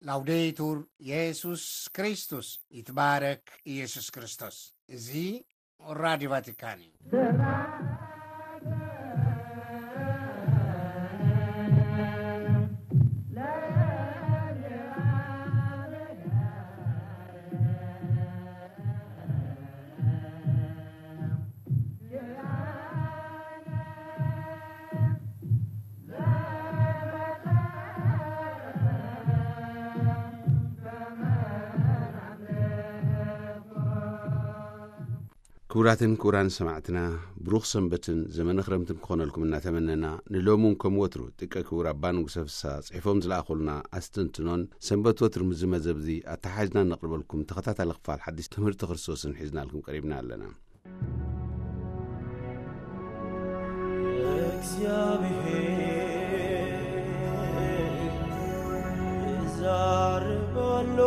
ላውዴቱር የሱስ ክርስቶስ፣ ይትባረክ ኢየሱስ ክርስቶስ። እዚ ራዲዮ ቫቲካን እዩ። ክቡራትን ክቡራን ሰማዕትና፣ ብሩኽ ሰንበትን ዘመነ ክረምትን ክኾነልኩም እናተመነና፣ ንሎሚ እውን ከም ወትሩ ጥቀ ክቡር ኣባ ንጉሰ ፍስሓ ጽሒፎም ዝለኣኹልና ኣስተንትኖን ሰንበት ወትሩ ምስ ዝመዘብዚ ኣተሓሒዝና ነቕርበልኩም ተኸታታሊ ክፋል ሓዲስ ትምህርቲ ክርስቶስን ሒዝናልኩም ቀሪብና ኣለና። እግዚኣብሔር ይዛረብ ኣሎ።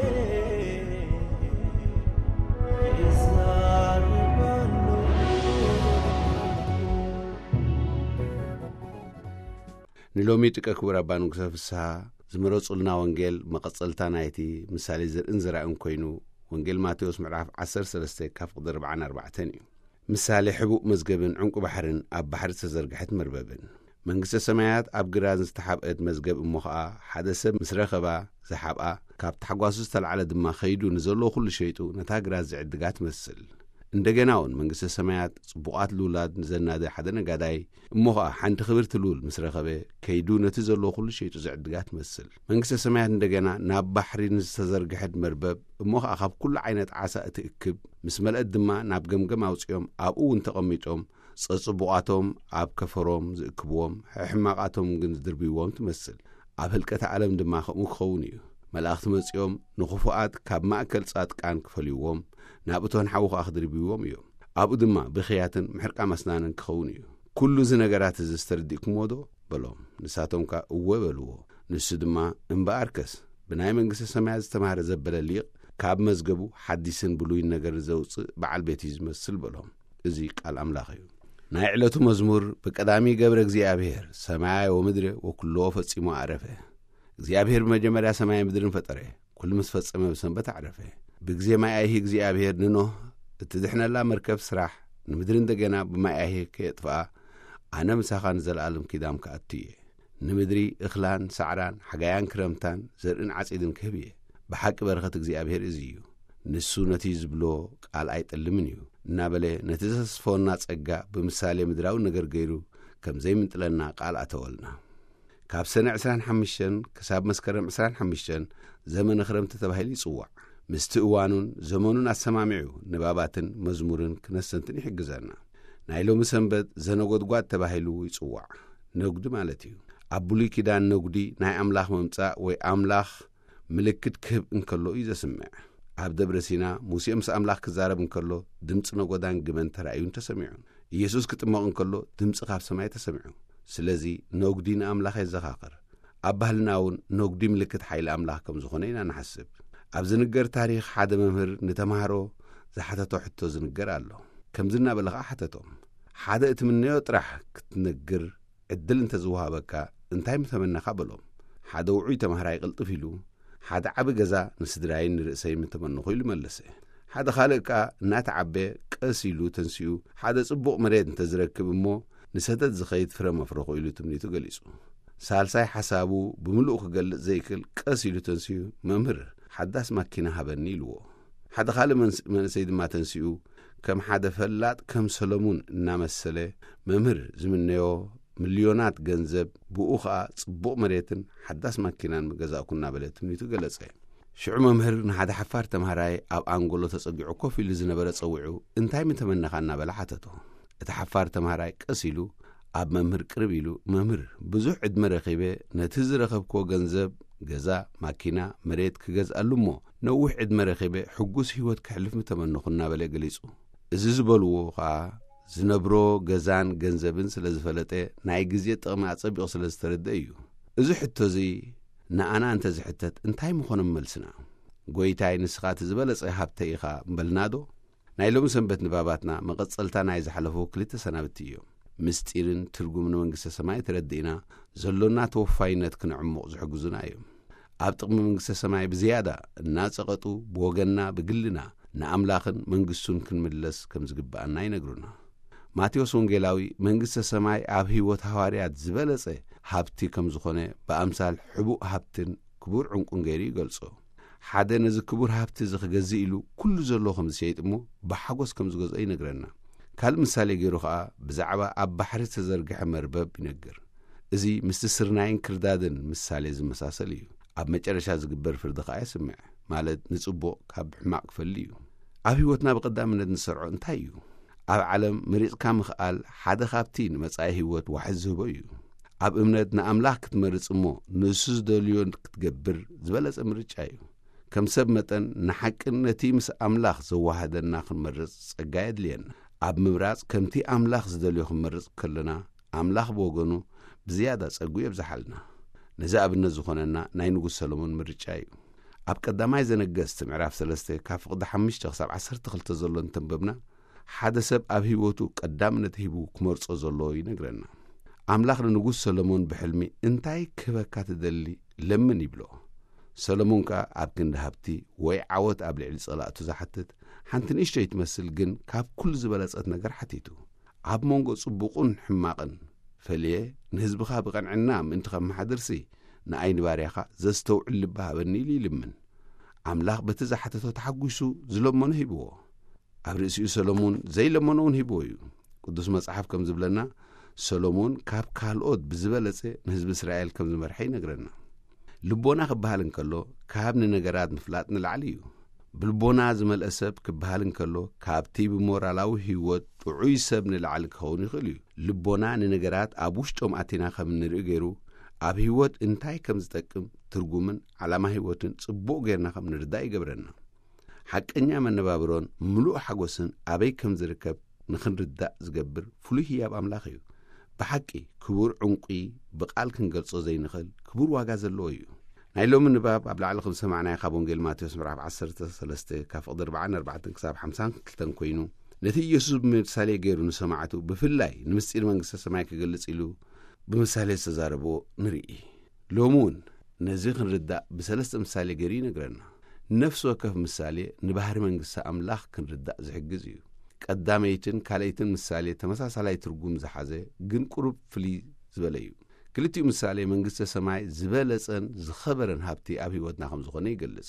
እግዚኣብሔር ይዛረብ ኣሎ። ንሎሚ ጥቀ ክቡር ኣባ ንጉሰ ፍስሓ ዝመረጹልና ወንጌል መቐጸልታ ናይቲ ምሳሌ ዘርእን ዘራእን ኮይኑ፣ ወንጌል ማቴዎስ ምዕራፍ ዓሰርተ ሰለስተ ካብ ፍቕዲ ኣርባዓን ኣርባዕተን እዩ። ምሳሌ ሕቡእ መዝገብን ዕንቁ ባሕርን ኣብ ባሕሪ ዝተዘርግሐት መርበብን። መንግስተ ሰማያት ኣብ ግራን ዝተሓብአት መዝገብ እሞ ኸኣ፣ ሓደ ሰብ ምስ ረኸባ ዝሓብኣ፣ ካብ ታሕጓሱ ዝተላዕለ ድማ ኸይዱ ንዘለዎ ኩሉ ሸይጡ ነታ ግራት ዝዕድጋ ትመስል። እንደገና እውን መንግስተ ሰማያት ጽቡቓት ልኡላት ንዘናደ ሓደ ነጋዳይ እሞ ኸኣ ሓንቲ ክብርቲ ልኡል ምስ ረኸበ፣ ከይዱ ነቲ ዘለዎ ኩሉ ሸይጡ ዝዕድጋ ትመስል። መንግስተ ሰማያት እንደገና ናብ ባሕሪ ንዝተዘርግሐት መርበብ እሞ ኸኣ ካብ ኩሉ ዓይነት ዓሳ እትእክብ፣ ምስ መልአት ድማ ናብ ገምገም ኣውጺኦም ኣብኡ እውን ተቐሚጦም፣ ጸጽቡቓቶም ኣብ ከፈሮም ዝእክብዎም፣ ሕማቓቶም ግን ዝድርብይዎም ትመስል። ኣብ ህልቀት ዓለም ድማ ከምኡ ክኸውን እዩ። መላእኽቲ መጺኦም ንኽፉኣት ካብ ማእከል ጻድቃን ክፈልይዎም፣ ናብ እቶን ሓዊ ኸኣ ክድርብይዎም እዮም። ኣብኡ ድማ ብኽያትን ምሕርቃም ኣስናንን ክኸውን እዩ። ኩሉ እዚ ነገራት እዚ ዝተረዲእኩምዎ ዶ? በሎም። ንሳቶም ከኣ እወ በልዎ። ንሱ ድማ እምበኣርከስ ብናይ መንግስተ ሰማያት ዝተማህረ ዘበለ ሊቕ ካብ መዝገቡ ሓዲስን ብሉይን ነገር ዘውጽእ በዓል ቤት እዩ ዝመስል በሎም። እዚ ቃል ኣምላኽ እዩ። ናይ ዕለቱ መዝሙር። ብቀዳሚ ገብረ እግዚኣብሔር ሰማይ ወምድር ወኩሎ ፈጺሙ ኣረፈ። እግዚኣብሔር ብመጀመርያ ሰማይ ምድርን ፈጠረ። ኩሉ ምስ ፈጸመ ብሰንበት ኣዕረፈ። ብግዜ ማይ ኣይሂ እግዚኣብሔር ንኖህ እትድሕነላ መርከብ ስራሕ፣ ንምድሪ እንደገና ብማይ ኣይሂ ከየጥፍኣ፣ ኣነ ምሳኻ ንዘለኣለም ኪዳን ክኣቱ እየ። ንምድሪ እኽላን ሳዕራን፣ ሓጋያን ክረምታን፣ ዘርእን ዓጺድን ክህብ እየ። ብሓቂ በረኸት እግዚኣብሔር እዚ እዩ። ንሱ ነቲ ዝብሎ ቃል ኣይጠልምን እዩ እናበለ፣ ነቲ ዘተስፈወና ጸጋ ብምሳሌ ምድራዊ ነገር ገይሩ ከም ዘይምንጥለና ቃል ኣተወልና። ካብ ሰነ ዕስራን ሓሙሽተን ክሳብ መስከረም ዕስራን ሓሙሽተን ዘመነ ክረምቲ ተባሂሉ ይጽዋዕ። ምስቲ እዋኑን ዘመኑን ኣሰማሚዑ ንባባትን መዝሙርን ክነስተንትን ይሕግዘና። ናይ ሎሚ ሰንበት ዘነጎድጓድ ተባሂሉ ይጽዋዕ። ነጉዲ ማለት እዩ። ኣብ ብሉይ ኪዳን ነጉዲ ናይ ኣምላኽ ምምጻእ ወይ ኣምላኽ ምልክት ክህብ እንከሎ እዩ ዘስምዕ። ኣብ ደብረ ሲና ሙሴ ምስ ኣምላኽ ክዛረብ እንከሎ ድምፂ ነጎዳን ግመን ተራእዩን ተሰሚዑን። ኢየሱስ ክጥመቕ እንከሎ ድምፂ ካብ ሰማይ ተሰሚዑ። ስለዚ ነጉዲ ንኣምላኽ የዘኻኽር። ኣብ ባህልና እውን ነጉዲ ምልክት ሓይሊ ኣምላኽ ከም ዝኾነ ኢና ንሓስብ። ኣብ ዝንገር ታሪኽ ሓደ መምህር ንተምሃሮ ዝሓተቶ ሕቶ ዝንገር ኣሎ። ከምዚ እናበለ ኸዓ ሓተቶም። ሓደ እትምነዮ ጥራሕ ክትነግር ዕድል እንተዝወሃበካ እንታይ ምተመነኻ በሎም። ሓደ ውዑይ ተምሃራይ ቅልጥፍ ኢሉ ሓደ ዓቢ ገዛ ንስድራይን ንርእሰይ ምተመነኹ ኢሉ መለሰ። ሓደ ካልእ ከኣ እናተዓበ ቀስ ኢሉ ተንሲኡ ሓደ ጽቡቕ መሬት እንተዝረክብ እሞ ንሰደት ዝኸይድ ፍረ መፍረኹ ኢሉ ትምኒቱ ገሊጹ። ሳልሳይ ሓሳቡ ብምሉኡ ክገልጽ ዘይክእል ቀስ ኢሉ ተንሲኡ መምህር ሓዳስ ማኪና ሃበኒ ኢልዎ። ሓደ ካልእ መንስ-፣ መንእሰይ ድማ ተንሲኡ ከም ሓደ ፈላጥ ከም ሰለሙን እናመሰለ መምህር ዝምነዮ ሚልዮናት ገንዘብ ብኡ ኸኣ ጽቡቕ መሬትን ሓዳስ ማኪናን ምገዛእኩ እናበለ ትምኒቱ ገለጸ። ሽዑ መምህር ንሓደ ሓፋር ተምሃራይ ኣብ ኣንጎሎ ተጸጊዑ ኮፍ ኢሉ ዝነበረ ጸዊዑ እንታይ ምተመነኻ እናበለ ሓተቶ። እቲ ሓፋር ተምሃራይ ቀስ ኢሉ ኣብ መምህር ቅርብ ኢሉ መምህር ብዙሕ ዕድመ ረኺበ ነቲ ዝረኸብክዎ ገንዘብ ገዛ፣ ማኪና፣ መሬት ክገዝኣሉ እሞ ነዊሕ ዕድመ ረኺበ ሕጉስ ህይወት ከሕልፍ ምተመነኹ እናበለ ገሊጹ። እዚ ዝበልዎ ኸኣ ዝነብሮ ገዛን ገንዘብን ስለ ዝፈለጠ ናይ ግዜ ጥቕሚ ኣጸቢቑ ስለ ዝተረድአ እዩ። እዚ ሕቶ እዚ ንኣና እንተ ዝሕተት እንታይ ምኾነ መልስና? ጎይታይ ንስኻ እቲ ዝበለጸ ሃብተ ኢኻ ምበልናዶ? ናይ ሎሚ ሰንበት ንባባትና መቐጸልታ ናይ ዝሓለፉ ክልተ ሰናብቲ እዮም። ምስጢርን ትርጉምን መንግስተ ሰማይ ተረዲእና፣ ዘሎና ተወፋይነት ክነዕሙቕ ዝሕግዙና እዮም። ኣብ ጥቕሚ መንግስተ ሰማይ ብዝያዳ እናጸቐጡ፣ ብወገንና፣ ብግልና፣ ንኣምላኽን መንግስቱን ክንምለስ ከም ዝግብኣና ይነግሩና። ማቴዎስ ወንጌላዊ መንግስተ ሰማይ ኣብ ህይወት ሃዋርያት ዝበለጸ ሃብቲ ከም ዝኾነ፣ ብኣምሳል ሕቡእ ሃብትን ክቡር ዕንቁን ገይሩ ይገልጾ። ሓደ ነዚ ክቡር ሃብቲ እዚ ክገዝእ ኢሉ ኩሉ ዘሎ ከም ዝሸይጥ እሞ፣ ብሓጎስ ከም ዝገዝኦ ይነግረና። ካልእ ምሳሌ ገይሩ ኸኣ ብዛዕባ ኣብ ባሕሪ ዝተዘርግሐ መርበብ ይነግር። እዚ ምስቲ ስርናይን ክርዳድን ምሳሌ ዝመሳሰል እዩ። ኣብ መጨረሻ ዝግበር ፍርዲ ኸኣ የስምዕ፣ ማለት ንጽቡቕ ካብ ሕማቕ ክፈሊ እዩ። ኣብ ህይወትና ብቐዳምነት ንሰርዖ እንታይ እዩ? ኣብ ዓለም መሪጽካ ምኽኣል ሓደ ካብቲ ንመጻኢ ህይወት ዋሕዚ ዝህቦ እዩ። ኣብ እምነት ንኣምላኽ ክትመርጽ እሞ ንሱ ዝደልዮ ክትገብር ዝበለጸ ምርጫ እዩ። ከም ሰብ መጠን ንሓቅን ነቲ ምስ ኣምላኽ ዘዋህደና ክንመርጽ ጸጋ የድልየና። ኣብ ምምራጽ ከምቲ ኣምላኽ ዝደልዮ ክንመርጽ ከለና፣ ኣምላኽ ብወገኑ ብዝያዳ ጸጉ የብዝሓልና። ነዚ ኣብነት ዝኾነና ናይ ንጉስ ሰሎሞን ምርጫ እዩ። ኣብ ቀዳማይ ዘነገስት ምዕራፍ ሰለስተ ካብ ፍቕዲ ሓሙሽተ ክሳብ ዓሰርተ ክልተ ዘሎ እንተንበብና፣ ሓደ ሰብ ኣብ ህይወቱ ቀዳምነት ሂቡ ክመርጾ ዘለዎ ይነግረና። ኣምላኽ ንንጉስ ሰሎሞን ብሕልሚ እንታይ ክህበካ ትደሊ ለምን ይብሎ። ሰሎሞን ከኣ ኣብ ክንዲ ሃብቲ ወይ ዓወት ኣብ ልዕሊ ጸላእቱ ዝሓትት ሓንቲ ንእሽቶይ ትመስል ግን ካብ ኩሉ ዝበለጸት ነገር ሓቲቱ። ኣብ መንጎ ጽቡቕን ሕማቕን ፈልየ ንህዝብኻ ብቐንዕና ምእንቲ ከመሓድርሲ ንኣይ ንባርያኻ ዘስተውዕል ልቢ ሃበኒ ኢሉ ይልምን። ኣምላኽ በቲ ዝሓተቶ ተሓጒሱ ዝለመኖ ሂብዎ። ኣብ ርእሲኡ ሰሎሞን ዘይለመኖ እውን ሂብዎ እዩ። ቅዱስ መጽሓፍ ከም ዝብለና፣ ሰሎሞን ካብ ካልኦት ብዝበለጸ ንህዝቢ እስራኤል ከም ዝመርሐ ይነግረና። ልቦና ክበሃል እንከሎ ካብ ንነገራት ምፍላጥ ንላዕሊ እዩ። ብልቦና ዝመልአ ሰብ ክበሃል እንከሎ ካብቲ ብሞራላዊ ህይወት ጥዑይ ሰብ ንላዕሊ ክኸውን ይኽእል እዩ። ልቦና ንነገራት ኣብ ውሽጦም ኣቲና ከም እንርኢ ገይሩ ኣብ ህይወት እንታይ ከም ዝጠቅም ትርጉምን ዓላማ ህይወትን ጽቡቕ ጌርና ከም ንርዳእ ይገብረና። ሓቀኛ መነባብሮን ምሉእ ሓጎስን ኣበይ ከም ዝርከብ ንኽንርዳእ ዝገብር ፍሉይ ህያብ ኣምላኽ እዩ። ብሓቂ ክቡር ዕንቁ ብቓል ክንገልጾ ዘይንኽእል ክቡር ዋጋ ዘለዎ እዩ። ናይ ሎሚ ንባብ ኣብ ላዕሊ ከም ዝሰማዕናዮ ካብ ወንጌል ማቴዎስ ምዕራፍ ዓሰርተ ሰለስተ ካብ ፍቕዲ ኣርባዓን ኣርባዕተን ክሳብ ሓምሳን ክልተን ኮይኑ፣ ነቲ ኢየሱስ ብምሳሌ ገይሩ ንሰማዕቱ ብፍላይ ንምስጢር መንግስተ ሰማይ ክገልጽ ኢሉ ብምሳሌ ዝተዛረቦ ንርኢ። ሎሚ እውን ነዚ ክንርዳእ ብሰለስተ ምሳሌ ገይሩ ይነግረና። ነፍሲ ወከፍ ምሳሌ ንባህሪ መንግስቲ ኣምላኽ ክንርዳእ ዝሕግዝ እዩ። ቀዳመይትን ካልኣይትን ምሳሌ ተመሳሳላይ ትርጉም ዝሓዘ ግን ቁሩብ ፍልይ ዝበለ እዩ። ክልቲኡ ምሳሌ መንግስተ ሰማይ ዝበለጸን ዝኸበረን ሃብቲ ኣብ ህይወትና ከም ዝኾነ ይገልጽ።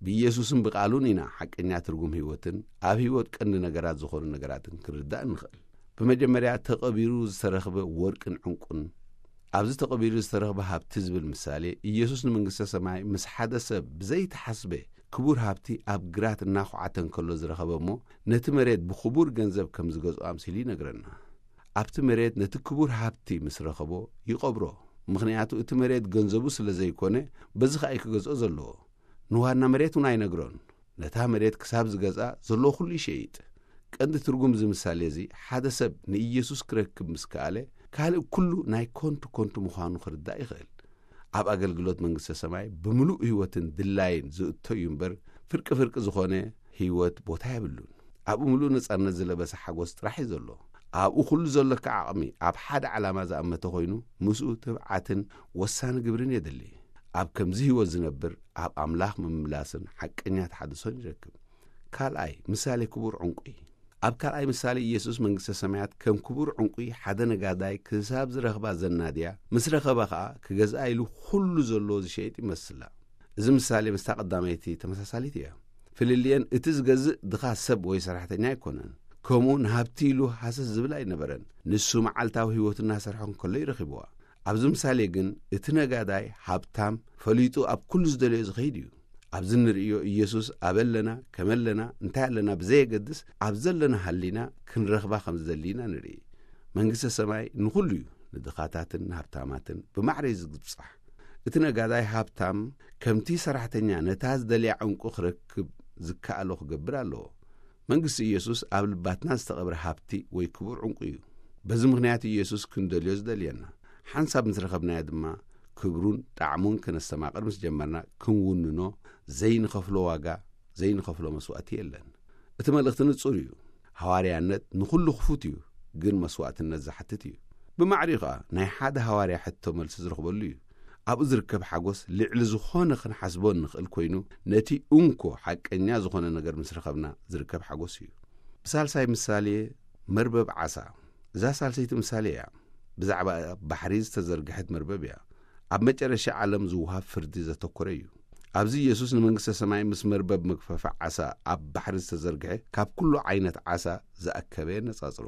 ብኢየሱስን ብቓሉን ኢና ሓቀኛ ትርጉም ህይወትን ኣብ ህይወት ቀንዲ ነገራት ዝኾኑ ነገራትን ክንርዳእ እንኽእል። ብመጀመርያ ተቐቢሩ ዝተረኽበ ወርቅን ዕንቁን። ኣብዚ ተቐቢሩ ዝተረኽበ ሃብቲ ዝብል ምሳሌ፣ ኢየሱስ ንመንግስተ ሰማይ ምስ ሓደ ሰብ ብዘይተሓስበ ክቡር ሃብቲ ኣብ ግራት እናኹዓተ እንከሎ ዝረኸበ እሞ፣ ነቲ መሬት ብኽቡር ገንዘብ ከም ዝገዝኦ ኣምሲሉ ይነግረና። ኣብቲ መሬት ነቲ ክቡር ሃብቲ ምስ ረኸቦ ይቐብሮ። ምኽንያቱ እቲ መሬት ገንዘቡ ስለ ዘይኮነ፣ በዚ ኸኣ እዩ ክገዝኦ ዘለዎ። ንዋና መሬት እውን ኣይነግሮን። ነታ መሬት ክሳብ ዝገዝኣ ዘለዎ ኩሉ ይሸይጥ። ቀንዲ ትርጉም እዚ ምሳሌ እዚ፣ ሓደ ሰብ ንኢየሱስ ክረክብ ምስ ከኣለ፣ ካልእ ኩሉ ናይ ኮንቱ ኮንቱ ምዃኑ ክርዳእ ይኽእል። ኣብ ኣገልግሎት መንግስተ ሰማይ ብምሉእ ህይወትን ድላይን ዝእቶ እዩ እምበር፣ ፍርቂ ፍርቂ ዝኾነ ህይወት ቦታ የብሉን። ኣብኡ ምሉእ ነጻነት ዝለበሰ ሓጎስ ጥራሕ እዩ ዘሎ። ኣብኡ ኩሉ ዘለካ ዓቕሚ ኣብ ሓደ ዓላማ ዝኣመተ ኮይኑ፣ ምስኡ ትብዓትን ወሳኒ ግብርን የድሊ። ኣብ ከምዚ ህይወት ዝነብር ኣብ ኣምላኽ ምምላስን ሓቀኛ ተሓድሶን ይረክብ። ካልኣይ ምሳሌ ክቡር ዕንቁ እዩ። ኣብ ካልኣይ ምሳሌ ኢየሱስ መንግስተ ሰማያት ከም ክቡር ዕንቁ ሓደ ነጋዳይ ክሳብ ዝረኽባ ዘናድያ፣ ምስ ረኸባ ኸኣ ክገዝኣ ኢሉ ኩሉ ዘለዎ ዝሸይጥ ይመስላ። እዚ ምሳሌ ምስታ ቀዳመይቲ ተመሳሳሊት እያ። ፍልልየን እቲ ዝገዝእ ድኻ ሰብ ወይ ሰራሕተኛ ኣይኮነን። ከምኡ ንሃብቲ ኢሉ ሃሰስ ዝብል ኣይነበረን። ንሱ መዓልታዊ ህይወቱ እናሰርሐ እንከሎ ይረኺብዋ። ኣብዚ ምሳሌ ግን እቲ ነጋዳይ ሃብታም ፈሊጡ ኣብ ኩሉ ዝደለዮ ዝኸይድ እዩ። ኣብዚ እንርእዮ ኢየሱስ ኣበለና ከመለና እንታይ ኣለና ብዘየገድስ ኣብ ዘለና ሃሊና ክንረኽባ ከም ዝደሊ ኢና ንርኢ። መንግስተ ሰማይ ንኹሉ እዩ፣ ንድኻታትን ንሃብታማትን ብማዕረ እዩ ዝብጻሕ። እቲ ነጋዳይ ሃብታም ከምቲ ሰራሕተኛ ነታ ዝደልያ ዕንቁ ክረክብ ዝከኣሎ ክገብር ኣለዎ። መንግስቲ ኢየሱስ ኣብ ልባትና ዝተቐብረ ሃብቲ ወይ ክቡር ዕንቁ እዩ። በዚ ምኽንያት ኢየሱስ ክንደልዮ ዝደልየና። ሓንሳብ ምስ ረኸብናዮ ድማ ክብሩን ጣዕሙን ከነስተማቕር ምስ ጀመርና ክንውንኖ ዘይንኸፍሎ ዋጋ፣ ዘይንኸፍሎ መስዋእቲ የለን። እቲ መልእኽቲ ንጹር እዩ። ሃዋርያነት ንኹሉ ክፉት እዩ፣ ግን መስዋእትነት ዝሓትት እዩ። ብማዕሪኡ ኸኣ ናይ ሓደ ሃዋርያ ሕቶ መልሲ ዝረኽበሉ እዩ። ኣብኡ ዝርከብ ሓጎስ ልዕሊ ዝኾነ ክንሓስቦ እንኽእል ኮይኑ፣ ነቲ እንኮ ሓቀኛ ዝኾነ ነገር ምስ ረኸብና ዝርከብ ሓጎስ እዩ። ብሳልሳይ ምሳሌ፣ መርበብ ዓሳ። እዛ ሳልሰይቲ ምሳሌ እያ። ብዛዕባ ኣብ ባሕሪ ዝተዘርግሐት መርበብ እያ። ኣብ መጨረሻ ዓለም ዝወሃብ ፍርዲ ዘተኮረ እዩ። ኣብዚ ኢየሱስ ንመንግስተ ሰማይ ምስ መርበብ መግፈፊ ዓሳ ኣብ ባሕሪ ዝተዘርግሐ ካብ ኩሉ ዓይነት ዓሳ ዝኣከበ የነጻጽሮ።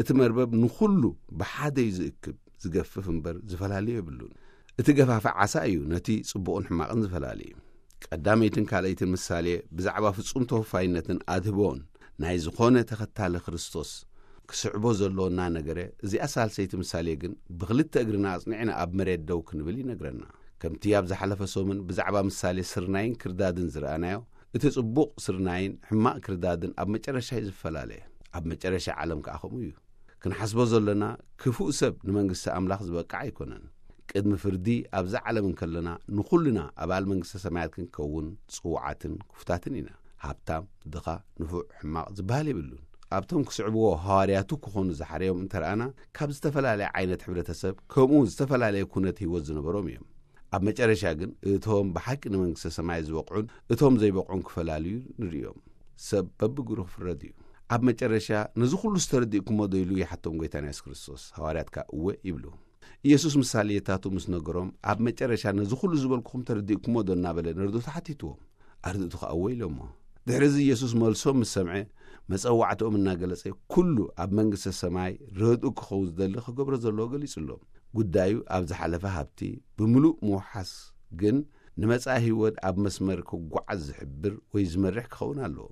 እቲ መርበብ ንኹሉ ብሓደ እዩ ዝእክብ፣ ዝገፍፍ እምበር ዝፈላልዮ የብሉን። እቲ ገፋፊ ዓሳ እዩ ነቲ ጽቡቕን ሕማቕን ዝፈላሊ። ቀዳመይትን ካልኣይትን ምሳሌ ብዛዕባ ፍጹም ተወፋይነትን ኣድህቦን ናይ ዝኾነ ተኸታሊ ክርስቶስ ክስዕቦ ዘለዎ እናነገረ፣ እዚኣ ሳልሰይቲ ምሳሌ ግን ብኽልተ እግርና ኣጽኒዕና ኣብ መሬት ደው ክንብል ይነግረና። ከምቲ ኣብ ዝሓለፈ ሰሙን ብዛዕባ ምሳሌ ስርናይን ክርዳድን ዝረኣናዮ፣ እቲ ጽቡቕ ስርናይን ሕማቕ ክርዳድን ኣብ መጨረሻ እዩ ዝፈላለ። ኣብ መጨረሻ ዓለም ከኣ ከምኡ እዩ። ክንሓስቦ ዘሎና፣ ክፉእ ሰብ ንመንግስቲ ኣምላኽ ዝበቅዕ ኣይኮነን። ቅድሚ ፍርዲ ኣብዛ ዓለም እንከለና ንኹልና ኣባል መንግስተ ሰማያት ክንከውን ጽዉዓትን ክፉታትን ኢና። ሃብታም፣ ድኻ፣ ንፉዕ፣ ሕማቕ ዝበሃል የብሉን። ኣብቶም ክስዕብዎ ሃዋርያቱ ክኾኑ ዝሓረዮም እንተረኣና፣ ካብ ዝተፈላለየ ዓይነት ሕብረተሰብ ከምኡ ዝተፈላለየ ኩነት ህይወት ዝነበሮም እዮም። ኣብ መጨረሻ ግን እቶም ብሓቂ ንመንግስተ ሰማይ ዝበቕዑን እቶም ዘይበቕዑን ክፈላልዩ ንርእዮም። ሰብ በብግብሩ ክፍረድ እዩ። ኣብ መጨረሻ ነዚ ኩሉ ዝተረዲእኩሞ ዶ ኢሉ ይሓቶም ጎይታና የሱስ ክርስቶስ። ሃዋርያት ከኣ እወ ይብሉ። ኢየሱስ ምሳሌታቱ ምስ ነገሮም፣ ኣብ መጨረሻ ነዚ ኩሉ ዝበልኩኹም ተረዲእኩሞ ዶ እናበለ ነርድኡ ተሓቲትዎም። ኣርድእቱ ከኣ እወ ኢሎሞ። ድሕሪ እዚ ኢየሱስ መልሶም ምስ ሰምዐ፣ መጸዋዕትኦም እናገለጸ፣ ኩሉ ኣብ መንግስተ ሰማይ ረድኡ ክኸውን ዝደሊ ክገብሮ ዘለዎ ገሊጹሎም። ጉዳዩ ኣብ ዝሓለፈ ሃብቲ ብምሉእ ምውሓስ ግን ንመጻኢ ህይወት ኣብ መስመር ክጓዓዝ ዝሕብር ወይ ዝመርሕ ክኸውን ኣለዎ።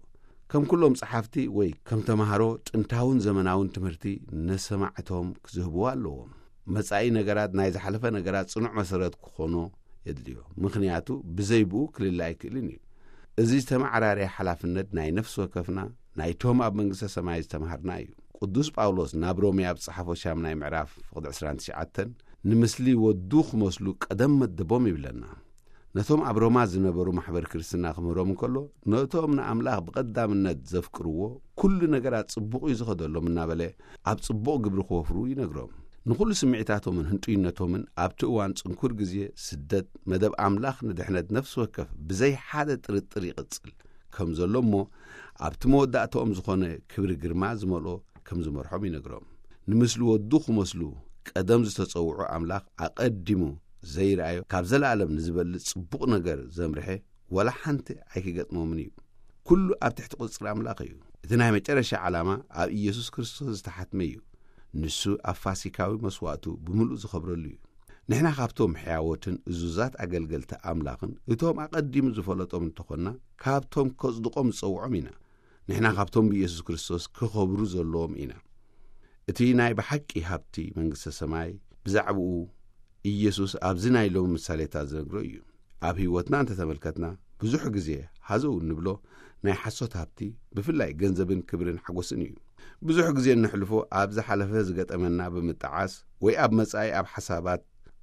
ከም ኩሎም ጸሓፍቲ ወይ ከም ተማሃሮ ጥንታውን ዘመናውን ትምህርቲ ንሰማዕቶም ክዝህብዎ ኣለዎም። መጻኢ ነገራት ናይ ዝሓለፈ ነገራት ጽኑዕ መሰረት ክኾኖ የድልዮ። ምኽንያቱ ብዘይ ብኡ ክልለ ኣይክእልን እዩ። እዚ ዝተመዓራረየ ሓላፍነት ናይ ነፍሲ ወከፍና ናይቶም ኣብ መንግስተ ሰማይ ዝተማሃርና እዩ። ቅዱስ ጳውሎስ ናብ ሮሜ ኣብ ዝጸሓፎ ሻምናይ ምዕራፍ ፍቕዲ ዕስራን ትሽዓተን፣ ንምስሊ ወዱ ክመስሉ ቀደም መደቦም ይብለና። ነቶም ኣብ ሮማ ዝነበሩ ማሕበር ክርስትና ክምህሮም እንከሎ፣ ነቶም ንኣምላኽ ብቐዳምነት ዘፍቅርዎ፣ ኩሉ ነገራት ጽቡቕ እዩ ዝኸደሎም እናበለ፣ ኣብ ጽቡቕ ግብሪ ክወፍሩ ይነግሮም። ንኹሉ ስምዒታቶምን ህንጡይነቶምን ኣብቲ እዋን ጽንኩር ግዜ ስደት መደብ ኣምላኽ ንድሕነት ነፍሲ ወከፍ ብዘይ ሓደ ጥርጥር ይቕጽል ከም ዘሎ እሞ፣ ኣብቲ መወዳእታኦም ዝኾነ ክብሪ ግርማ ዝመልኦ ከም ዝመርሖም ይነግሮም። ንምስሊ ወዱ ክመስሉ ቀደም ዝተጸውዑ ኣምላኽ ኣቐዲሙ ዘይረኣዮ ካብ ዘለኣለም ንዝበልጽ ጽቡቕ ነገር ዘምርሐ ዋላ ሓንቲ ኣይክገጥሞምን እዩ። ኩሉ ኣብ ትሕቲ ቁጽሪ ኣምላኽ እዩ። እቲ ናይ መጨረሻ ዓላማ ኣብ ኢየሱስ ክርስቶስ ዝተሓትመ እዩ። ንሱ ኣብ ፋሲካዊ መስዋእቱ ብምሉእ ዝኸብረሉ እዩ። ንሕና ካብቶም ሕያዎትን እዙዛት ኣገልገልቲ ኣምላኽን እቶም ኣቐዲሙ ዝፈለጦም እንተኾንና፣ ካብቶም ከጽድቖም ዝጸውዖም ኢና። ንሕና ካብቶም ብኢየሱስ ክርስቶስ ክኸብሩ ዘለዎም ኢና። እቲ ናይ ብሓቂ ሃብቲ መንግስተ ሰማይ ብዛዕባኡ ኢየሱስ ኣብዚ ናይ ሎሚ ምሳሌታት ዝነግሮ እዩ። ኣብ ህይወትና እንተተመልከትና፣ ብዙሕ ግዜ ሃዘው እንብሎ ናይ ሓሶት ሃብቲ፣ ብፍላይ ገንዘብን ክብርን ሓጎስን እዩ። ብዙሕ ግዜ እነሕልፎ ኣብ ዝሓለፈ ዝገጠመና ብምጥዓስ ወይ ኣብ መጻኢ ኣብ ሓሳባት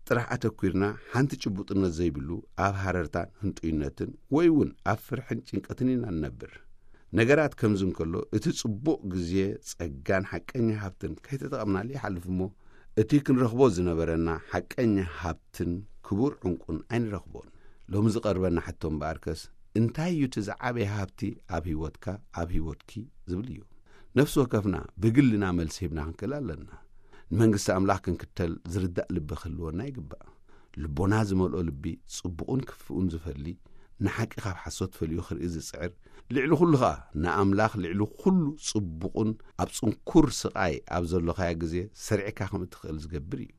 ጥራሕ ኣተኲርና፣ ሓንቲ ጭቡጥነት ዘይብሉ ኣብ ሃረርታን ህንጡይነትን ወይ እውን ኣብ ፍርሕን ጭንቀትን ኢና ንነብር። ነገራት ከምዚ እንከሎ፣ እቲ ጽቡቕ ግዜ፣ ጸጋን ሓቀኛ ሃብትን ከይተጠቐምናሉ ይሓልፍ እሞ፣ እቲ ክንረኽቦ ዝነበረና ሓቀኛ ሃብትን ክቡር ዕንቁን ኣይንረኽቦን። ሎሚ ዝቐርበና ሕቶ እምበኣርከስ፣ እንታይ እዩ እቲ ዝዓበየ ሃብቲ ኣብ ህይወትካ፣ ኣብ ህይወትኪ ዝብል እዩ። ነፍሲ ወከፍና ብግልና መልሲ ሂብና ክንክእል ኣለና። ንመንግስቲ ኣምላኽ ክንክተል ዝርዳእ ልቢ ክህልወና ይግባእ። ልቦና ዝመልኦ ልቢ ጽቡቕን ክፉእን ዝፈሊ፣ ንሓቂ ካብ ሓሶት ፈልዩ ክርኢ ዝጽዕር፣ ልዕሊ ኩሉ ኸኣ ንኣምላኽ ልዕሊ ኩሉ ጽቡቕን ኣብ ጽንኩር ስቓይ ኣብ ዘሎኻዮ ግዜ ሰሪዕካ ከም እትኽእል ዝገብር እዩ።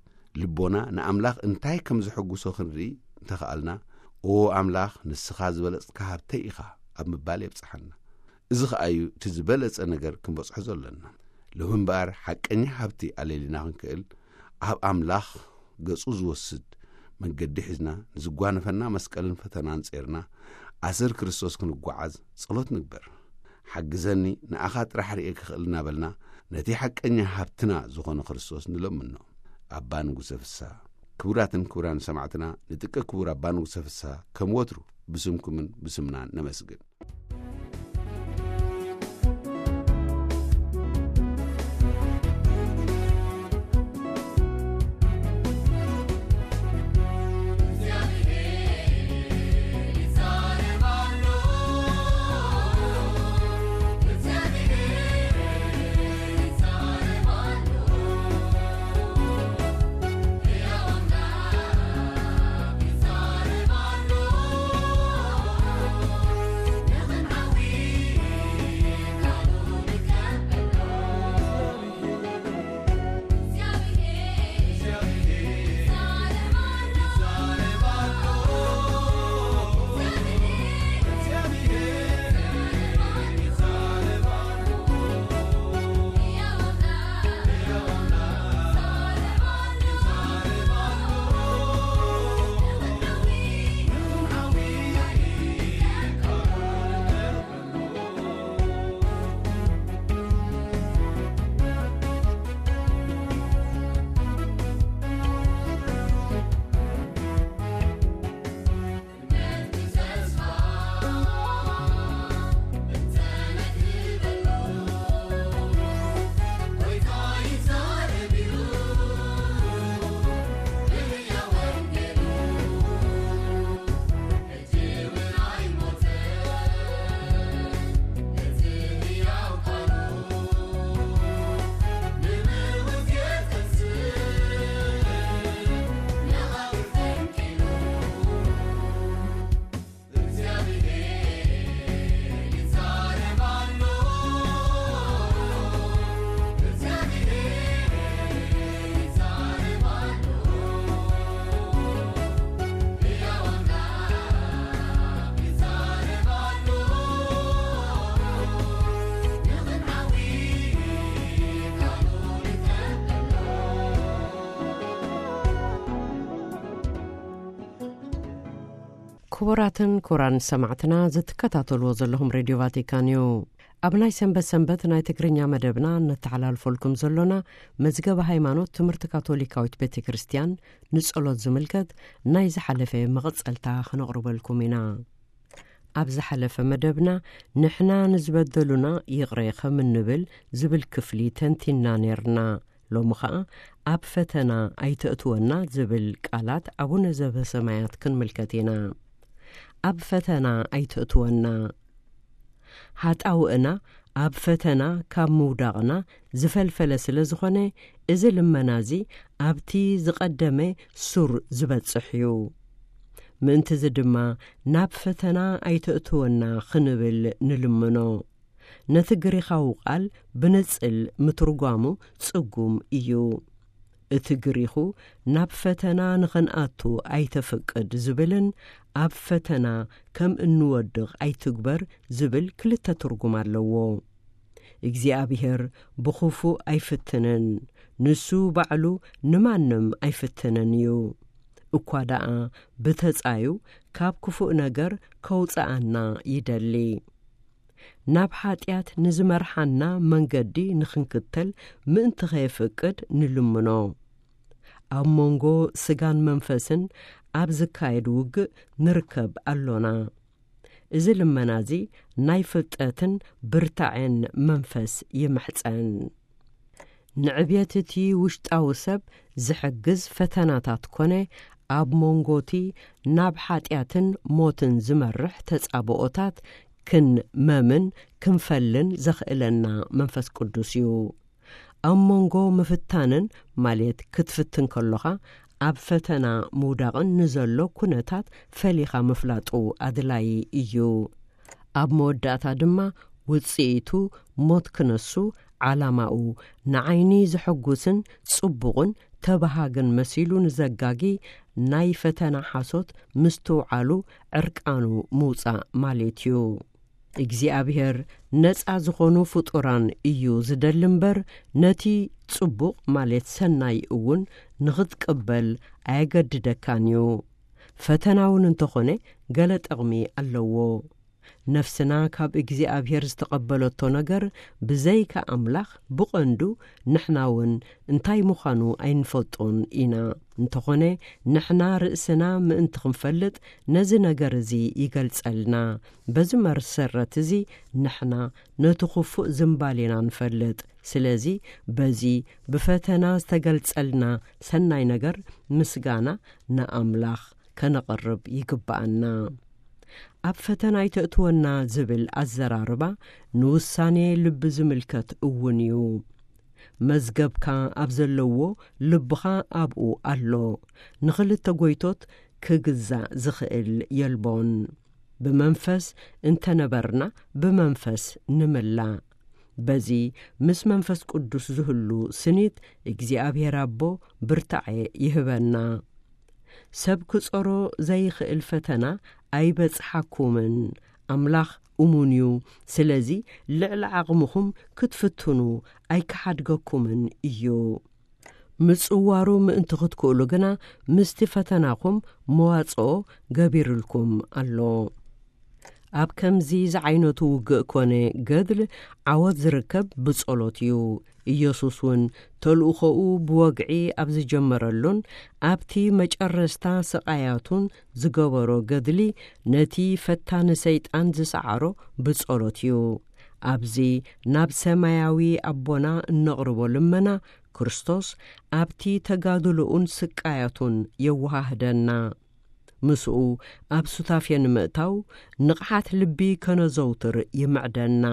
ልቦና ንኣምላኽ እንታይ ከም ዘሐጉሶ ክንርኢ እንተኸኣልና፣ "ኦ ኣምላኽ፣ ንስኻ ዝበለጽካ ሃብተይ ኢኻ" ኣብ ምባል የብጽሓና። እዚ ኸኣ እዩ እቲ ዝበለጸ ነገር ክንበጽሖ ዘሎና። ሎሚ እምበኣር ሓቀኛ ሃብቲ ኣለሊና ክንክእል፣ ኣብ ኣምላኽ ገጹ ዝወስድ መንገዲ ሒዝና፣ ንዝጓነፈና መስቀልን ፈተናን ጼርና፣ ኣሰር ክርስቶስ ክንጓዓዝ ጸሎት ንግበር። "ሓግዘኒ፣ ንኣኻ ጥራሕ ርእየ ክኽእል" እናበልና፣ ነቲ ሓቀኛ ሃብትና ዝኾነ ክርስቶስ ንለምኖ። ኣባ ንጉሰ ፍስሃ። ክቡራትን ክቡራን ሰማዕትና፣ ንጥቀ ክቡር ኣባ ንጉሰ ፍስሃ ከም ወትሩ ብስምኩምን ብስምናን ነመስግን። ክቡራትን ክቡራን ሰማዕትና፣ ዝትከታተልዎ ዘለኹም ሬድዮ ቫቲካን እዩ። ኣብ ናይ ሰንበት ሰንበት ናይ ትግርኛ መደብና እነተሓላልፈልኩም ዘሎና መዝገበ ሃይማኖት ትምህርቲ ካቶሊካዊት ቤተ ክርስቲያን ንጸሎት ዝምልከት ናይ ዝሓለፈ መቐጸልታ ክነቕርበልኩም ኢና። ኣብ ዝሓለፈ መደብና ንሕና ንዝበደሉና ይቕረ ከም እንብል ዝብል ክፍሊ ተንቲና ኔርና። ሎሚ ኸኣ ኣብ ፈተና ኣይተእትወና ዝብል ቃላት ኣቡነ ዘበሰማያት ክንምልከት ኢና። ኣብ ፈተና ኣይተእትወና። ሃጣውእና ኣብ ፈተና ካብ ምውዳቕና ዝፈልፈለ ስለ ዝኾነ፣ እዚ ልመና እዚ ኣብቲ ዝቐደመ ሱር ዝበጽሕ እዩ። ምእንትዚ ድማ ናብ ፈተና ኣይተእትወና ክንብል ንልምኖ። ነቲ ግሪኻዊ ቃል ብንጽል ምትርጓሙ ጽጉም እዩ። እቲ ግሪኹ ናብ ፈተና ንኽንኣቱ ኣይተፍቅድ ዝብልን ኣብ ፈተና ከም እንወድቕ ኣይትግበር ዝብል ክልተ ትርጉም ኣለዎ። እግዚኣብሔር ብኽፉእ ኣይፍትንን፣ ንሱ ባዕሉ ንማንም ኣይፍትንን እዩ። እኳ ደኣ ብተጻዩ ካብ ክፉእ ነገር ከውጽኣና ይደሊ። ናብ ሓጢኣት ንዝመርሓና መንገዲ ንኽንክተል ምእንቲ ኸየፍቅድ ንልምኖ። ኣብ መንጎ ስጋን መንፈስን ኣብ ዝካየድ ውግእ ንርከብ ኣሎና። እዚ ልመና እዚ ናይ ፍልጠትን ብርታዐን መንፈስ ይምሕጸን። ንዕብየት እቲ ውሽጣዊ ሰብ ዝሕግዝ ፈተናታት ኮነ፣ ኣብ መንጎ እቲ ናብ ሓጢኣትን ሞትን ዝመርሕ ተጻብኦታት ክንመምን ክንፈልን ዘኽእለና መንፈስ ቅዱስ እዩ። ኣብ መንጎ ምፍታንን፣ ማለት ክትፍትን ከሎኻ ኣብ ፈተና ምውዳቕን ንዘሎ ኩነታት ፈሊኻ ምፍላጡ ኣድላዪ እዩ። ኣብ መወዳእታ ድማ ውጽኢቱ ሞት ክነሱ፣ ዓላማኡ ንዓይኒ ዘሐጉስን ጽቡቕን ተበሃግን መሲሉ ንዘጋጊ ናይ ፈተና ሓሶት ምስትውዓሉ ዕርቃኑ ምውጻእ ማለት እዩ። እግዚኣብሔር ነጻ ዝኾኑ ፍጡራን እዩ ዝደሊ እምበር፣ ነቲ ጽቡቕ ማለት ሰናይ እውን ንኽትቅበል ኣየገድደካን እዩ። ፈተና እውን እንተኾነ ገለ ጥቕሚ ኣለዎ። ነፍስና ካብ እግዚኣብሔር ዝተቐበለቶ ነገር ብዘይካ ኣምላኽ ብቐንዱ ንሕና እውን እንታይ ምዃኑ ኣይንፈልጦን ኢና። እንተኾነ ንሕና ርእስና ምእንቲ ክንፈልጥ ነዚ ነገር እዚ ይገልጸልና። በዚ መሰረት እዚ ንሕና ነቲ ክፉእ ዝምባሌና ንፈልጥ። ስለዚ በዚ ብፈተና ዝተገልጸልና ሰናይ ነገር ምስጋና ንኣምላኽ ከነቕርብ ይግብኣና። ኣብ ፈተና ኣይተእትወና ዝብል ኣዘራርባ ንውሳኔ ልቢ ዝምልከት እውን እዩ። መዝገብካ ኣብ ዘለዎ ልብኻ ኣብኡ ኣሎ። ንኽልተ ጎይቶት ክግዛእ ዝኽእል የልቦን። ብመንፈስ እንተነበርና ብመንፈስ ንምላእ። በዚ ምስ መንፈስ ቅዱስ ዝህሉ ስኒት እግዚኣብሔር ኣቦ ብርታዐ ይህበና። ሰብ ክጸሮ ዘይኽእል ፈተና ኣይበጽሓኩምን። ኣምላኽ እሙን እዩ። ስለዚ ልዕሊ ዓቕምኹም ክትፍትኑ ኣይክሓድገኩምን እዩ። ምጽዋሩ ምእንቲ ክትክእሉ ግና ምስቲ ፈተናኹም መዋጽኦ ገቢርልኩም ኣሎ። ኣብ ከምዚ ዝዓይነቱ ውግእ ኮነ ገድል ዓወት ዝርከብ ብጸሎት እዩ። ኢየሱስ እውን ተልእኾኡ ብወግዒ ኣብ ዝጀመረሉን ኣብቲ መጨረስታ ስቓያቱን ዝገበሮ ገድሊ ነቲ ፈታኒ ሰይጣን ዝሰዓሮ ብጸሎት እዩ። ኣብዚ ናብ ሰማያዊ ኣቦና እነቕርቦ ልመና ክርስቶስ ኣብቲ ተጋድሎኡን ስቃያቱን የወሃህደና። ምስኡ ኣብ ሱታፌ ንምእታው ንቕሓት ልቢ ከነዘውትር ይምዕደና።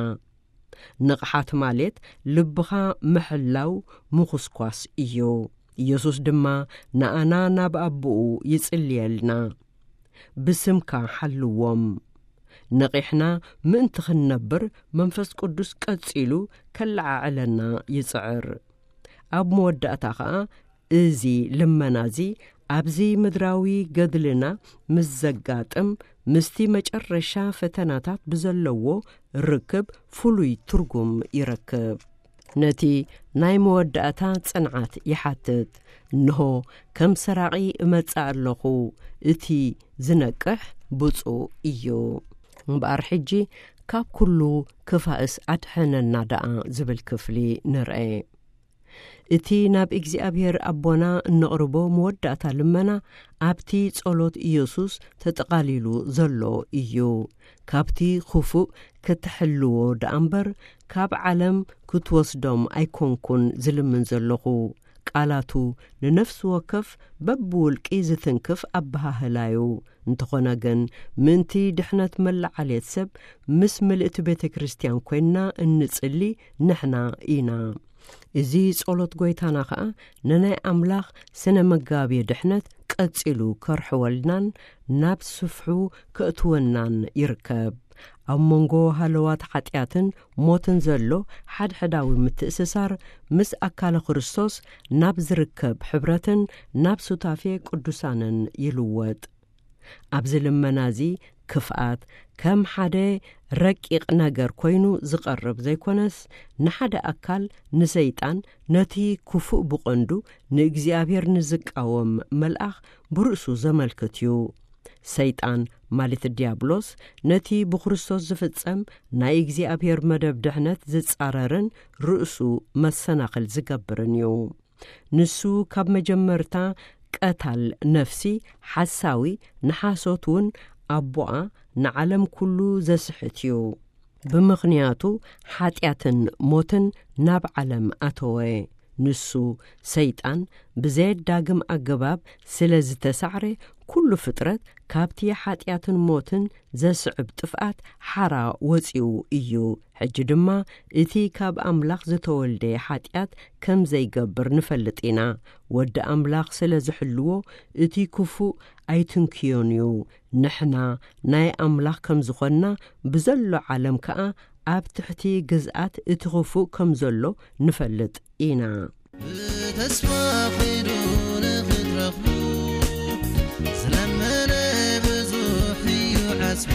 ንቕሓት ማለት ልብኻ ምሕላው ምኹስኳስ እዩ። ኢየሱስ ድማ ንኣና ናብ ኣቦኡ ይጽልየልና። ብስምካ ሓልዎም። ነቒሕና ምእንቲ ክንነብር መንፈስ ቅዱስ ቀጺሉ ከለዓዕለና ይጽዕር። ኣብ መወዳእታ ኸኣ እዚ ልመና እዚ ኣብዚ ምድራዊ ገድልና ምስ ዘጋጥም ምስቲ መጨረሻ ፈተናታት ብዘለዎ ርክብ ፍሉይ ትርጉም ይረክብ። ነቲ ናይ መወዳእታ ጽንዓት ይሓትት። እንሆ፣ ከም ሰራቒ እመጽእ ኣለኹ፣ እቲ ዝነቅሕ ብፁዕ እዩ። እምበኣር ሕጂ ካብ ኩሉ ክፋእስ ኣድሐነና ደኣ ዝብል ክፍሊ ንርአ። እቲ ናብ እግዚኣብሔር ኣቦና እነቕርቦ መወዳእታ ልመና ኣብቲ ጸሎት ኢየሱስ ተጠቓሊሉ ዘሎ እዩ። ካብቲ ክፉእ ክትሕልዎ ደኣ እምበር፣ ካብ ዓለም ክትወስዶም ኣይኮንኩን ዝልምን ዘለኹ። ቃላቱ ንነፍሲ ወከፍ በብውልቂ ዝትንክፍ ኣበሃህላዩ። እንተኾነ ግን፣ ምእንቲ ድሕነት መለዓልየት ሰብ ምስ ምልእቲ ቤተ ክርስቲያን ኮይንና እንጽሊ ንሕና ኢና። እዚ ጸሎት ጐይታና ኸኣ ንናይ ኣምላኽ ስነ መጋቢ ድሕነት ቀጺሉ ከርሕወልናን ናብ ስፍሑ ከእትወናን ይርከብ። ኣብ መንጎ ሃለዋት ሓጢኣትን ሞትን ዘሎ ሓድሕዳዊ ምትእስሳር ምስ ኣካለ ክርስቶስ ናብ ዝርከብ ሕብረትን ናብ ሱታፌ ቅዱሳንን ይልወጥ። ኣብዚ ልመና እዚ ክፍኣት ከም ሓደ ረቂቕ ነገር ኮይኑ ዝቐርብ ዘይኮነስ፣ ንሓደ ኣካል፣ ንሰይጣን፣ ነቲ ክፉእ ብቐንዱ ንእግዚኣብሔር ንዝቃወም መልኣኽ ብርእሱ ዘመልክት እዩ። ሰይጣን ማለት ዲያብሎስ ነቲ ብክርስቶስ ዝፍጸም ናይ እግዚኣብሔር መደብ ድሕነት ዝጻረርን ርእሱ መሰናኽል ዝገብርን እዩ። ንሱ ካብ መጀመርታ ቀታል ነፍሲ፣ ሓሳዊ፣ ንሓሶት እውን ኣቦኣ ንዓለም ኩሉ ዘስሕት እዩ። ብምኽንያቱ ሓጢኣትን ሞትን ናብ ዓለም ኣተወ። ንሱ ሰይጣን ብዘየዳግም ኣገባብ ስለ ዝተሳዕረ፣ ኩሉ ፍጥረት ካብቲ ሓጢኣትን ሞትን ዘስዕብ ጥፍኣት ሓራ ወጺኡ እዩ። ሕጂ ድማ እቲ ካብ ኣምላኽ ዝተወልደ ሓጢኣት ከም ዘይገብር ንፈልጥ ኢና። ወዲ ኣምላኽ ስለ ዝሕልዎ፣ እቲ ክፉእ ኣይትንክዮን እዩ። ንሕና ናይ ኣምላኽ ከም ዝኾንና፣ ብዘሎ ዓለም ከኣ ኣብ ትሕቲ ግዝኣት እቲ ክፉእ ከም ዘሎ ንፈልጥ ኢና። ብተስፋ ኺዱ ንኽትረኽቡ፣ ዝለመነ ብዙሕ እዩ ዓስቡ።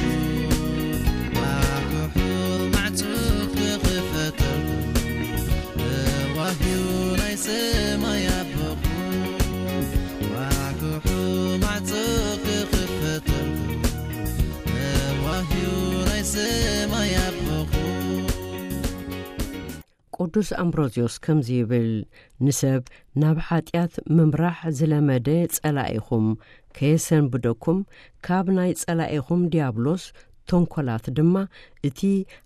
ዋግሑ ማዕጾ ክኽፈተልኩም፣ ተዋህዩ ናይ ሰማይ ኣቦኹም። ዋግሑ ማዕጾ ክኽፈተልኩም፣ ተዋህዩ ናይ ሰማይ ኣቦኹም። ቅዱስ ኣምብሮዝዮስ ከምዚ ይብል፣ ንሰብ ናብ ሓጢኣት ምምራሕ ዝለመደ ጸላኢኹም ከየሰንብደኩም፣ ካብ ናይ ጸላኢኹም ዲያብሎስ ተንኮላት ድማ እቲ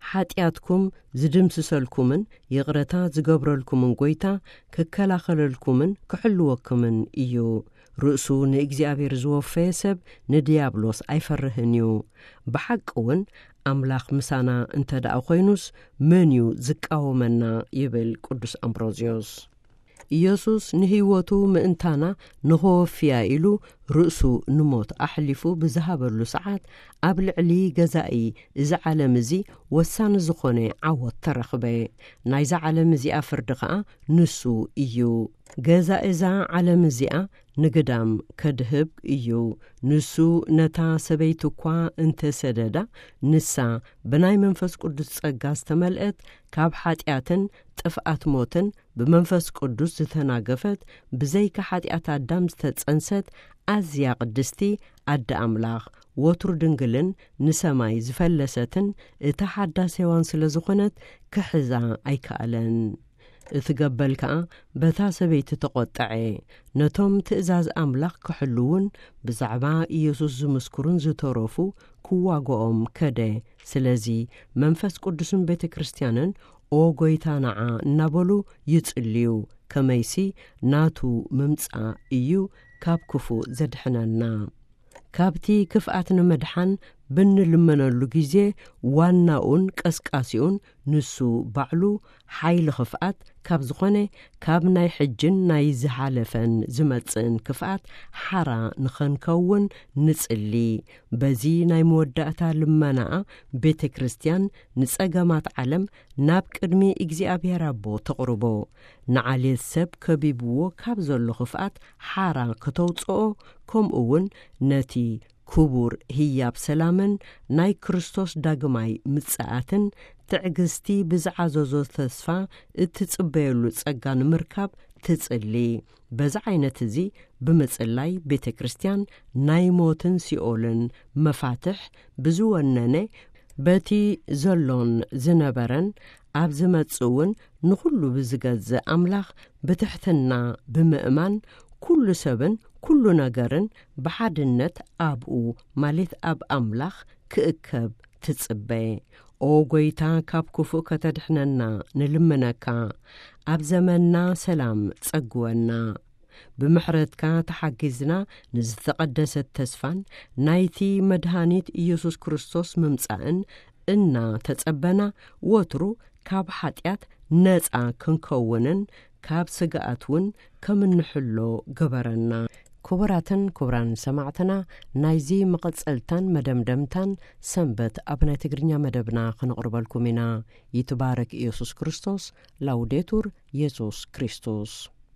ሓጢኣትኩም ዝድምስሰልኩምን ይቕረታ ዝገብረልኩምን ጐይታ ክከላኸለልኩምን ክሕልወኩምን እዩ። ርእሱ ንእግዚኣብሔር ዝወፈየ ሰብ ንድያብሎስ ኣይፈርህን እዩ። ብሓቂ እውን ኣምላኽ ምሳና እንተ ደኣ ኾይኑስ መን እዩ ዝቃወመና? ይብል ቅዱስ ኣምብሮዝዮስ። ኢየሱስ ንህይወቱ ምእንታና ንኸወፍያ ኢሉ ርእሱ ንሞት ኣሕሊፉ ብዝሃበሉ ሰዓት፣ ኣብ ልዕሊ ገዛኢ እዚ ዓለም እዚ ወሳኒ ዝኾነ ዓወት ተረኽበ። ናይዛ ዓለም እዚኣ ፍርዲ ኸኣ ንሱ እዩ። ገዛኢ እዛ ዓለም እዚኣ ንግዳም ከድህብ እዩ። ንሱ ነታ ሰበይቲ እኳ እንተሰደዳ፣ ንሳ ብናይ መንፈስ ቅዱስ ጸጋ ዝተመልአት፣ ካብ ሓጢኣትን ጥፍኣት ሞትን ብመንፈስ ቅዱስ ዝተናገፈት፣ ብዘይካ ሓጢኣት ኣዳም ዝተጸንሰት ኣዝያ ቅድስቲ ኣደ ኣምላኽ፣ ወትሩ ድንግልን ንሰማይ ዝፈለሰትን እታ ሓዳስ ሄዋን ስለ ዝኾነት፣ ክሕዛ ኣይከኣለን። እቲ ገበል ከኣ በታ ሰበይቲ ተቖጠዐ። ነቶም ትእዛዝ ኣምላኽ ክሕልዉን ብዛዕባ ኢየሱስ ዝምስክሩን ዝተረፉ ክዋግኦም ከደ። ስለዚ መንፈስ ቅዱስን ቤተ ክርስቲያንን "ኦ ጐይታ፣ ንዓ" እናበሉ ይጽልዩ። ከመይሲ ናቱ ምምጻእ እዩ ካብ ክፉእ ዘድሕነና። ካብቲ ክፍኣት ንምድሓን ብንልመነሉ ግዜ፣ ዋናኡን ቀስቃሲኡን ንሱ ባዕሉ ሓይሊ ክፍኣት ካብ ዝኾነ፣ ካብ ናይ ሕጅን ናይ ዝሓለፈን ዝመጽእን ክፍኣት ሓራ ንኸንከውን ንጽሊ። በዚ ናይ መወዳእታ ልመናኣ ቤተ ክርስቲያን ንጸገማት ዓለም ናብ ቅድሚ እግዚኣብሔር ኣቦ ተቕርቦ። ንዓሌት ሰብ ከቢብዎ ካብ ዘሎ ክፍኣት ሓራ ከተውጽኦ፣ ከምኡ እውን ነቲ ክቡር ህያብ ሰላምን ናይ ክርስቶስ ዳግማይ ምጽኣትን ትዕግስቲ ብዝዓዘዞ ተስፋ እትጽበየሉ ጸጋ ንምርካብ ትጽሊ። በዚ ዓይነት እዚ ብምጽላይ ቤተ ክርስቲያን ናይ ሞትን ሲኦልን መፋትሕ ብዝወነነ፣ በቲ ዘሎን ዝነበረን ኣብ ዝመጽእ እውን ንኹሉ ብዝገዝእ ኣምላኽ ብትሕትና ብምእማን፣ ኩሉ ሰብን ኩሉ ነገርን ብሓድነት ኣብኡ፣ ማለት ኣብ ኣምላኽ ክእከብ ትጽበ። ኦ ጎይታ፣ ካብ ክፉእ ከተድሕነና ንልምነካ። ኣብ ዘመንና ሰላም ጸግወና። ብምሕረትካ ተሓጊዝና ንዝተቐደሰት ተስፋን ናይቲ መድሃኒት ኢየሱስ ክርስቶስ ምምጻእን እና ተጸበና፣ ወትሩ ካብ ሓጢኣት ነጻ ክንከውንን ካብ ስግኣት እውን ከም እንሕሎ ግበረና። ክቡራትን ክቡራን ሰማዕትና፣ ናይዚ መቐጸልታን መደምደምታን ሰንበት ኣብ ናይ ትግርኛ መደብና ክንቕርበልኩም ኢና። ይትባረክ ኢየሱስ ክርስቶስ። ላውዴቱር ኢየሱስ ክርስቶስ።